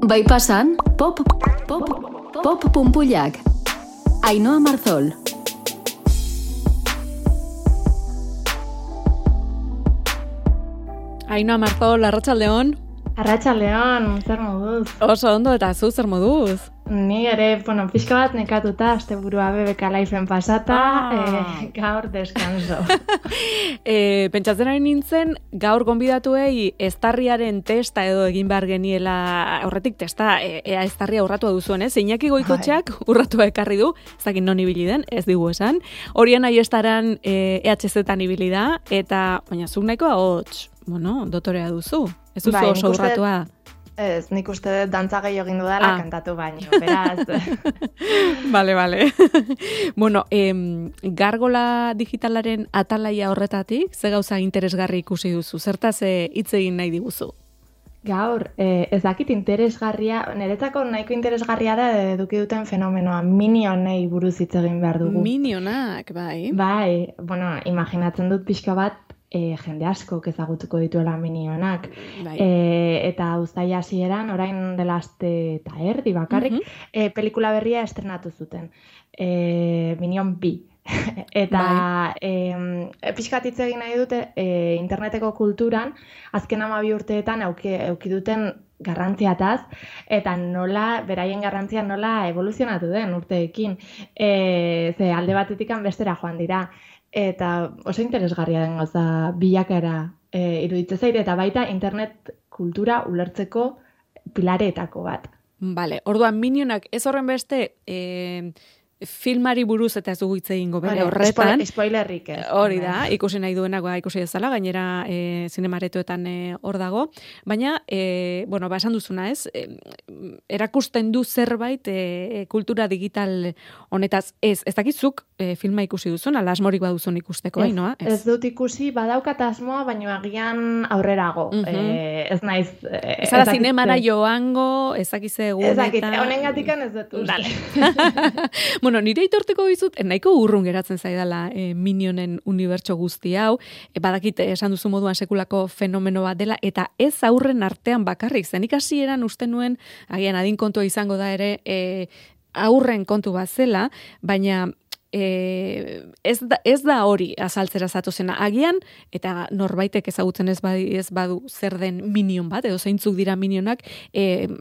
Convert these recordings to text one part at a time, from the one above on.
Bai pasan, pop punpullak. Ainhoa Marzol. Ainhoa Marzol, arratsaldeon. Arratsaldeon, zer moduz? Oso ondo, eta zu zer moduz? Ni ere, pixka bat nekatuta, asteburua BBK Liven pasata, gaur deskanso. Pentsatzen ari nintzen, gaur gonbidatuei eztarriaren testa edo egin behar geniela, horretik testa, ea eztarria urratua duzuen, ez? Iñaki Goikotxeak urratua ekarri du, ez dakit non ibili den, ez digu esan. Horien aiestaran EHZ-tan ibili da, eta, baina zuk nahikoa hots, dotorea duzu. Ez duzu oso urratua. Ez, nik uste dut dantza gehiago egin dudala kantatu baino, beraz. Bale. Gargola digitalaren atalaia horretatik, ze gauza interesgarri ikusi duzu? Zertaz hitz egin nahi diguzu? Gaur, ez dakit interesgarria, niretzako nahiko interesgarria da eduki duten fenomenoa, minionei buruz hitz egin behar dugu. Minionak, bai. Bai, imaginatzen dut pixka bat, jende askok ezagutuko dituela minionak. Bai. Eta uztaila hasieran orain dela aste eta erdi bakarrik, pelikula berria estrenatu zuten. Minion B. Eta pixkat hitz egin nahi dute interneteko kulturan, azken 12 urteetan eduki duten garrantziataz, eta nola, beraien garrantzia nola evoluzionatu den urteekin. Ze alde batetikan bestera joan dira. Eta oso interesgarria den gauza bilakaera iruditzen zait, eta baita internet kultura ulertzeko pilareetako bat. Bale, orduan minionak ez horren beste filmari buruz eta ez dugu hitz egingo bere horretan. Spoilerrik ez. Hori da, ikusi nahi duenak ikusi dezala, gainera zinemaretoetan hor dago. Baina, esan duzuna ez, erakusten du zerbait kultura digital honetaz ez dakizuk filma ikusi duzun, ala asmorik baduzun ikusteko, Ainhoa? Ez dut ikusi, badaukat asmoa, baina agian aurrerago. Ez naiz... Ez ara zinemara joango, ez dakize egun eta... Ez dakit, honengatikan ez dut uste. Nire itorteko dizut, nahiko urrun geratzen zaidala minionen unibertso guzti hau, badakit esan duzu moduan sekulako fenomeno bat dela, eta ez aurren artean bakarrik, zenik hasieran uste nuen, agian adin kontua izango da ere, aurren kontu bat zela, baina ez da hori azaltzera zatozena. Agian, eta norbaitek ezagutzen ez badu zer den minion bat, edo zeintzuk dira minionak,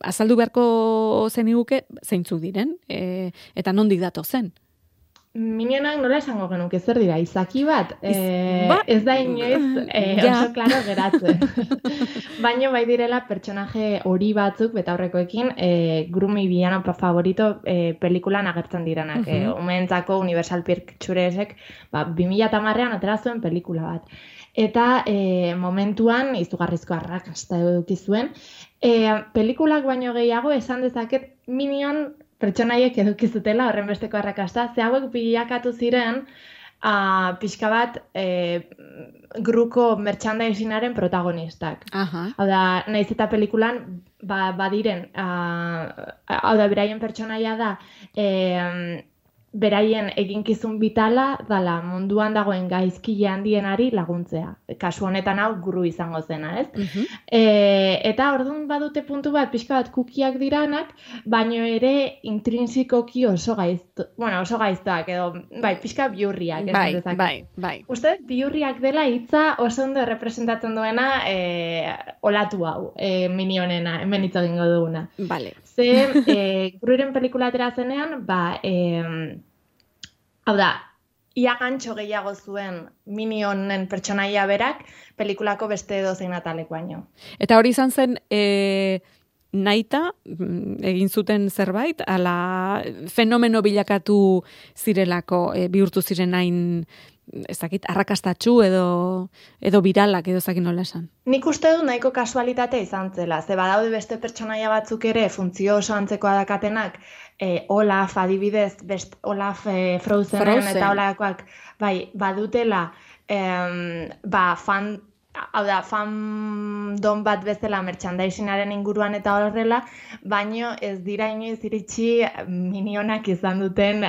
azaldu beharko zeniguke zeintzuk diren, eta nondik datozen. Minionak nola esango genuke zer dira, izaki bat? Ez da inoiz oso klaro geratzen. Baina bai direla pertsonaje hori batzuk, betaurrekoekin, Grumi Villano favorito pelikulan agertzen diranak. Umeentzako Universal Picturesek 2010an atera zuen pelikula bat. Eta momentuan izugarrizko arrakasta eduki zuen. Pelikulak baino gehiago esan dezaket Minion pertsonaiek eduki zutela horren besteko arrakasta, ze hauek bilakatu ziren pixka bat gruko merchandisinaren protagonistak. Hau da, naiz eta pelikulan badiren, hau da, beraien pertsonaia da, beraien eginkizun bitala dala munduan dagoen gaizkile handienari laguntzea. Kasu honetan hau guru izango zena, ez? Eta orduan badute puntu bat, pixka bat kukiak diranak, baino ere intrinsikoki oso gaiztoak, edo, pixka biurriak. Bai. Uste, biurriak dela hitza oso ondo representatzen duena olatu hau, minionena, hemen hitz egingo duguna. Vale. Ze, Gruren pelikula atera zenean, hau da, ia gantxo gehiago zuen minionen pertsonaia berak pelikulako beste edozein atalek baino. Eta hori izan zen nahita egin zuten zerbait, ala fenomeno bilakatu zirelako, bihurtu ziren hain, ez dakit, arrakastatxu edo viralak edo zakin nola esan. Nik uste du nahiko kasualitatea izan zela, ze badaude beste pertsonaia batzuk ere funtzio oso antzekoa dakatenak, Olaf adibidez, Olaf Frozenen eta olakoak, badutela fandom bat bezala merchandisinaren inguruan eta horrela, baino ez dira inoiz iritsi minionak izan duten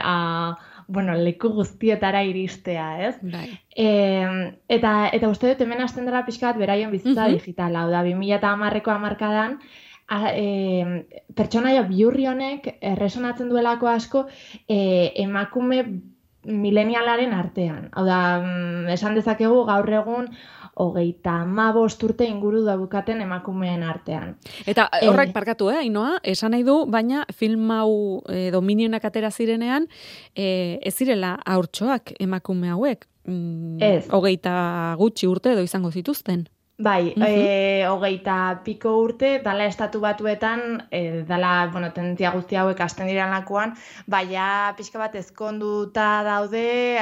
leku guztietara iristea, ez? Bai. Eta uste dut hemen hasten dela pixka bat beraien bizitza digitala, hau da 2010ko hamarkadan pertsonaia bihurri honek erresonatzen duelako asko emakume milenialaren artean. Hau da, esan dezakegu gaur egun 35 urte inguru daukaten emakumeen artean. Eta horrek parkatu, Ainoa, esan nahi du, baina film hau Minionak atera zirenean, ez zirela haurtxoak emakume hauek. Ez. 20 gutxi urte edo izango zituzten. Bai, 20 piko urte, dala estatu batuetan, dala, tendentzia guzti hauek hasten direlakoan, baina pixka bat ezkonduta daude,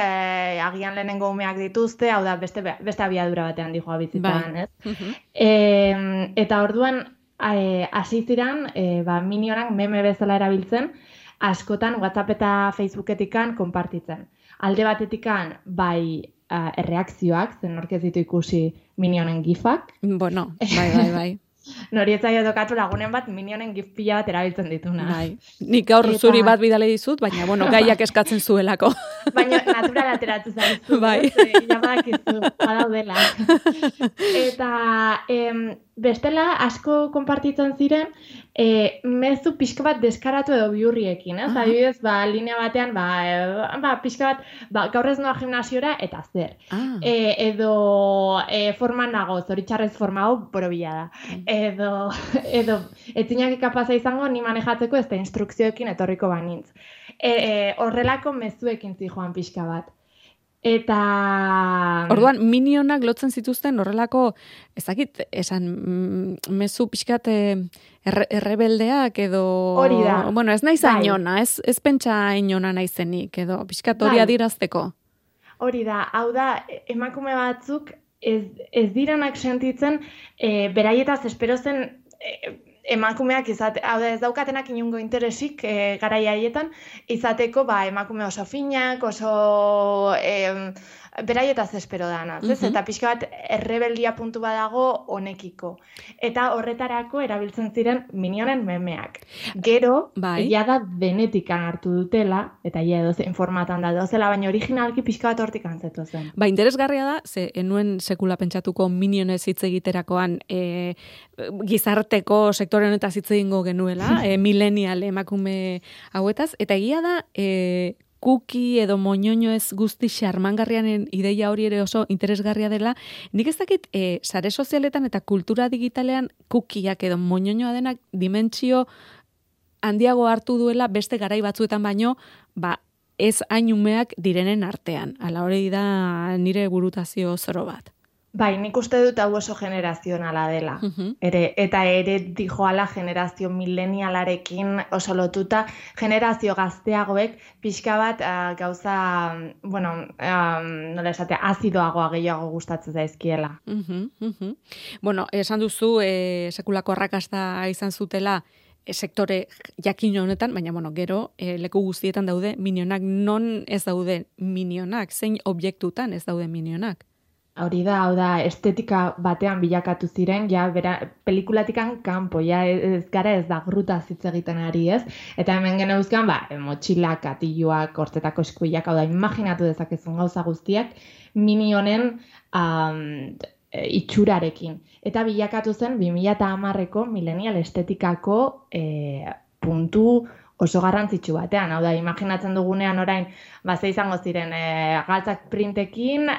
agian lehenengo umeak dituzte, hau da, beste abiadura batean dijoa bizitzan, ez? Eta orduan, hasi ziren, Minionak meme bezala erabiltzen, askotan WhatsApp eta Facebooketikan konpartitzen. Alde batetikan, bai, erreakzioak, zen nork ez ditu ikusi Minionen gifak. Bueno, bai. Nori etzaio tokatu lagunen bat Minionen gif pila bat erabiltzen dituna. Bai. Nik gaur zuri bat bidale dizut, baina, gaiak eskatzen zuelako. Baina natural ateratzen zaizu. Bai. Jamakizu, badaudela. Eta bestela asko konpartitzen ziren, mezu pixka bat deskaratu edo bihurriekin, ez? Adibidez, linea batean, pixka bat, gaur ez noa gimnasiora, eta zer. Edo forman nago, zoritxarrez forma hau, borobila da. Edo etzinak ikapaza izango, ni manejatzeko ez da instrukzioekin etorriko banintz. Horrelako mezuekin zijoan pixka bat. Eta... Orduan, Minionak lotzen zituzten horrelako, ezakit, esan, mezu pixkat errebeldeak edo... Hori da. Bueno, ez naiz ainona, ez pentsa ainona naizenik, edo pixkat hori adirazteko. Hori da, hau da, emakume batzuk ez direnak sentitzen, beraietaz espero zen emakumeak hau da ez daukatenak inungo interesik garai haietan, izateko emakume oso finak, oso beraietaz espero danaz, ez? Eta pixka bat errebeldia puntu badago honekiko. Eta horretarako erabiltzen ziren Minionen memeak. Gero, egia da denetikan hartu dutela, eta egia edozein formatan da dozela, baina originalki pixka bat hortik antzetu zen. Interesgarria da, ze enuen sekula pentsatuko Minionez hitz egiterakoan gizarteko sektore honetaz hitz egingo genuela, millennial emakume hauetaz, eta egia da, kuki edo moñoño ez guzti xarmangarrianen ideia hori ere oso interesgarria dela. Nik ez dakit, sare sozialetan eta kultura digitalean kukiak edo moñoñoa denak dimentsio handiago hartu duela beste garai batzuetan baino, ez hain umeak direnen artean. Hala hori da nire burutazio zoro bat. Bai, nik uste dut hau oso generazionala dela. Eta ere dijoala generazio millennialarekin oso lotuta, generazio gazteagoek pixka bat gauza, nola esatea, azidoagoa gehiago gustatzen zaizkiela. Bueno, esan duzu, sekulako arrakasta izan zutela, sektore jakin honetan, baina gero leku guztietan daude Minionak, non ez daude Minionak, zein objektutan ez daude Minionak. Hau da, estetika batean bilakatu ziren, pelikulatikan kanpo, ez gara ez da grutaz hitz egiten ari, ez? Eta hemen geneuzkan, motxilak, katiluak, hortzetako eskuilak, hau da, imaginatu dezakezun gauza guztiak, Minionen itxurarekin. Eta bilakatu zen 2010ko millennial estetikako puntu oso garrantzitsu batean. Hau da, imaginatzen dugunean orain, ze izango ziren galtzak printekin,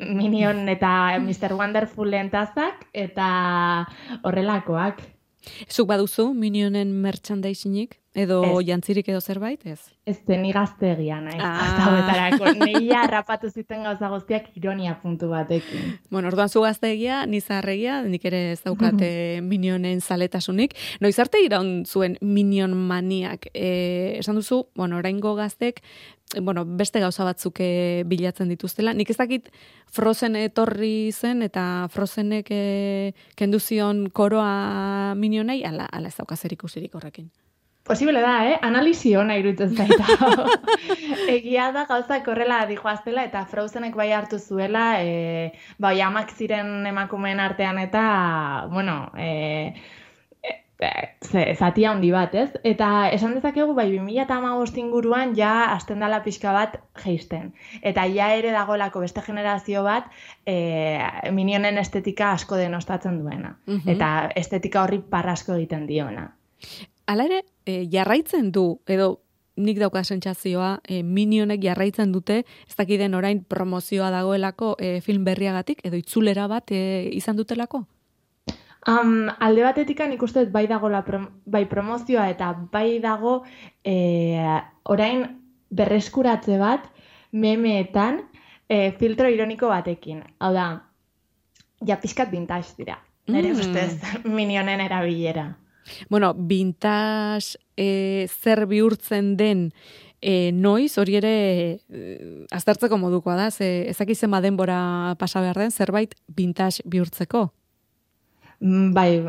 Minion eta Mr. Wonderfulen tazak, eta horrelakoak. Zuk baduzu Minionen merchandisinginik? Edo jantzirik edo zerbait, ez? Ez ni gaztegia naiz. Hasta hobetarako. Neia harrapatu ziten gauza guztiak ironia puntu batekin. Bueno, orduan zu gaztegia, ni zaharregia, nik ere ez daukate Minionen zaletasunik. Noiz arte iraun zuen Minion maniak? Esan duzu, oraingo gaztek, beste gauza batzuk bilatzen dituztela. Nik ez dakit Frozen etorri zen eta Frozenek kendu zion koroa Minionei, ala ez dauka zer ikusirik horrekin. Posible da, Analisi hona iruditzen zaita. Egia da gauzak horrela dijoaztela eta Frozenek bai hartu zuela, amak ziren emakumeen artean eta, zati handi bat, ez? Eta esan dezakegu, bai, 2015 inguruan ja hasten dela pixka bat jeisten. Eta ja ere dagoelako beste generazio bat Minionen estetika asko denostatzen duena. Eta estetika horri parrasko egiten diona. Hala ere, jarraitzen du, edo nik dauka sentsazioa, Minionek jarraitzen dute, ez dakiden orain promozioa dagoelako film berriagatik, edo itzulera bat izan dutelako? Alde batetik nik uste bai dago bai promozioa eta bai dago orain berreskuratze bat memeetan filtro ironiko batekin. Hau da, ja pixkat vintage dira. Nere ustez Minionen erabilera. Bueno, vintage zer bihurtzen den noiz, hori ere aztertzeko modukoa da, ezakizen denbora pasa behar den, zerbait vintage bihurtzeko? Bai,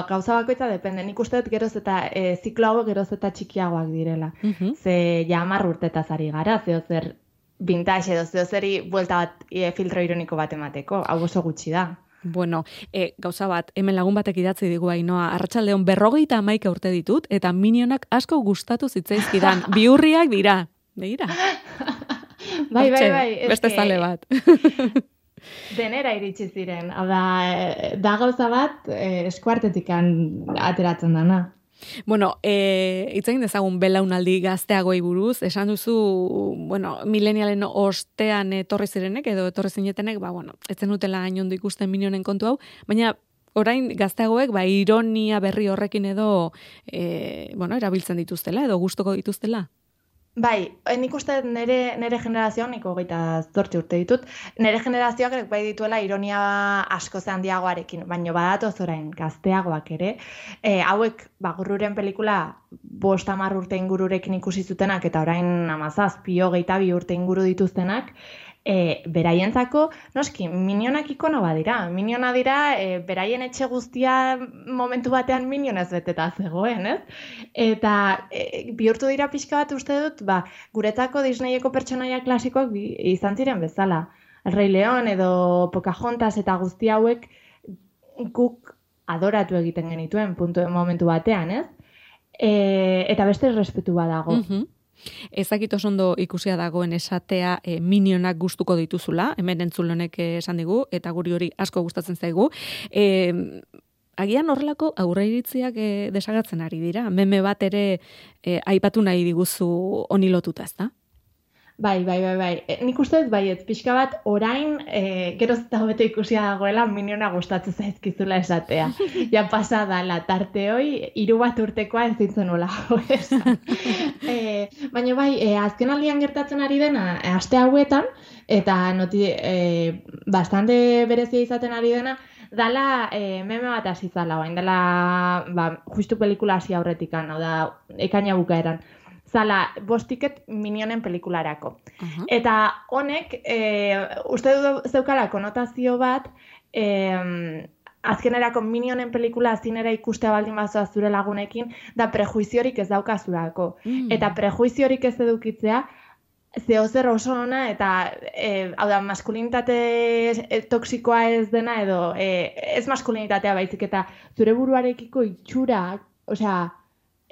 gauza bakoitza depende. Nik uste dut geroz eta ziklo hauek geroz eta txikiagoak direla. Ze ja 10 urtetaz ari gara, zer vintage edo zeri buelta bat filtro ironiko bat emateko. Hau oso gutxi da. Bueno, gauza bat, hemen lagun batek idatzi digu Ainhoa, arratsaldeon 51 urte ditut, eta Minionak asko gustatu zitzaizkidan. Bihurriak dira. Begira. Bai. Beste zale bat. Denera iritsi ziren. Hau da gauza bat eskuartetik ateratzen dana. Bueno, itzain dezagun belaunaldi gazteagoi buruz, esan duzu, bueno, milenialen ostean etorri zirenek, edo etorri zinetenek, ez zenutela hainondo ikusten Minionen kontu hau, baina orain gazteagoek, ironia berri horrekin edo, erabiltzen dituztela, edo gustuko dituztela? Bai, nik uste nere generazioan, nik 28 urte ditut, nere generazioak bai dituela ironia asko handiagoarekin, baina badatoz orain gazteagoak ere, hauek Gurruren pelikula 5-10 urte ingururekin ikusi zutenak, eta orain 17-22 urte inguru dituztenak, beraientzako, noski, Minionak ikono badira. Miniona dira, beraien etxe guztia momentu batean Minionez beteta zegoen, ez? Eta bihurtu dira pixka bat uste dut, guretzako Disneyeko pertsonaia klasikoak izan ziren bezala. El Rey León edo Pocahontas eta guzti hauek guk adoratu egiten genituen momentu batean, ez? Eta beste respetu badago. Ezakit oso ondo ikusia dagoen esatea Minionak gustuko dituzula, hemen entzulonek esan digu, eta guri hori asko gustatzen zaigu. Agian horrelako aurreiritziak desagertzen ari dira. Meme bat ere aipatu nahi diguzu honi lotuta, ezta? Bai. Nik uste dut baiet, pixka bat orain geroz eta hobeto ikusia dagoela Miniona gustatzen zaizkizula esatea. Ja pasa dala tarte hoi, 3 bat urtekoa ez zintzen nola esan. Baina bai, azken aldian gertatzen ari dena, aste hauetan, eta bastante berezia izaten ari dena, dala meme bat hasi zala, dala justu pelikula hasi aurretikan, hau da, ekaina bukaeran. Zala, 5 tiket Minionen pelikularako. Eta honek, uste du zeukala konotazio bat, azkenerako Minionen pelikula zinera ikustea baldin bazoa zure lagunekin, da prejuiziorik ez daukazurako. Eta prejuiziorik ez edukitzea, zehozer oso ona, eta hau da, maskulinitate toksikoa ez dena, edo ez maskulinitatea baizik, eta zure buruarekiko itxura, osea,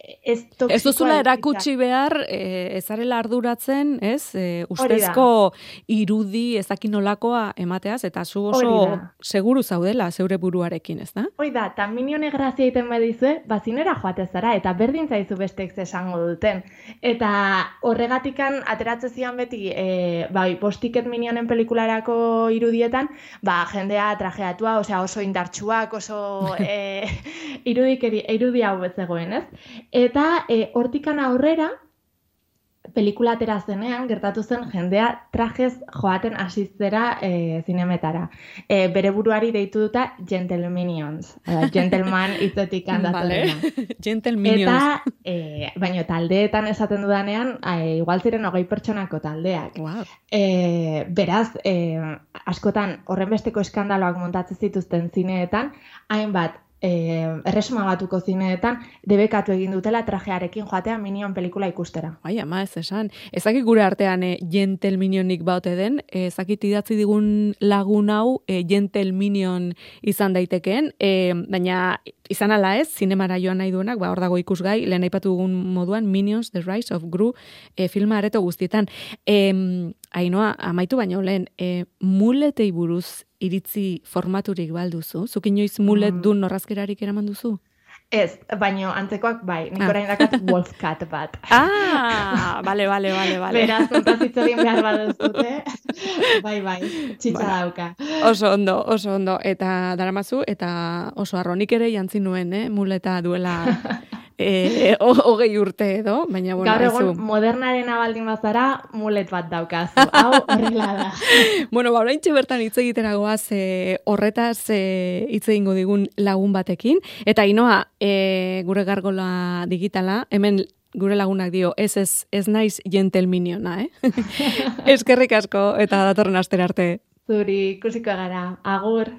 ez duzula erakutsi behar, ezarela arduratzen, ez? Ustezko irudi ezakinolakoa emateaz, eta zu oso seguru zaudela zeure buruarekin, ez da? Hoi da, eta Minione grazia egiten badizue, bazinera joate zara, eta berdin zaizu besteek esango duten. Eta horregatikan ateratzen zian beti, 5 tiket Minionen pelikularako irudietan, jendea trajeatua, oso indartsuak, oso irudi hau zegoen, ez? Eta hortikan aurrera, pelikula atera zenean, gertatu zen jendea trajez joaten asiztera zinemetara. Bere buruari deitu duta Gentleminions. Gentleman hitzetik handatzen. Gentleminions. Eta, baina taldeetan esaten dudanean, igual ziren 20 pertsonako taldeak. Wow. Beraz, askotan horrenbesteko eskandaloak montatzen zituzten zineetan, hainbat erresuma batuko zineetan debekatu egin dutela trajearekin joatea Minion pelikula ikustera. Bai, ama ez esan. Ezakit gure artean Gentle Minionik baute den, ezakit idatzi digun lagun hau Gentle Minion izan daitekeen, baina izan ala ez, zinemara joan nahi duenak, hor dago ikusgai, lehen aipatu dugun moduan Minions, The Rise of Gru filma areto guztietan. Ainhoa, amaitu baino lehen, muletei buruz iritzi formaturik balduzu? Zuk inoiz mulet dun norrazkerarik eraman duzu? Ez, baino antzekoak bai, nik orain dakat Wolfcat bat. Bale. Beraz, kontazitzo egin behar baduzute, bai, txitsa dauka. Oso ondo, eta daramazu, eta oso arronik ere jantzi nuen, muleta duela... 20 urte edo, baina bueno, gaur egun modernaren abaldin bazara mulet bat daukazu, hau horrela da. Bueno, oraintxe bertan hitz egiteragoaz horretaz hitz egingo digun lagun batekin, eta Ainhoa, gure gargola digitala, hemen gure lagunak dio, ez naiz Gentle Miniona, Eskerrik asko, eta datorren astera arte. Zuri, ikusiko gara, agur.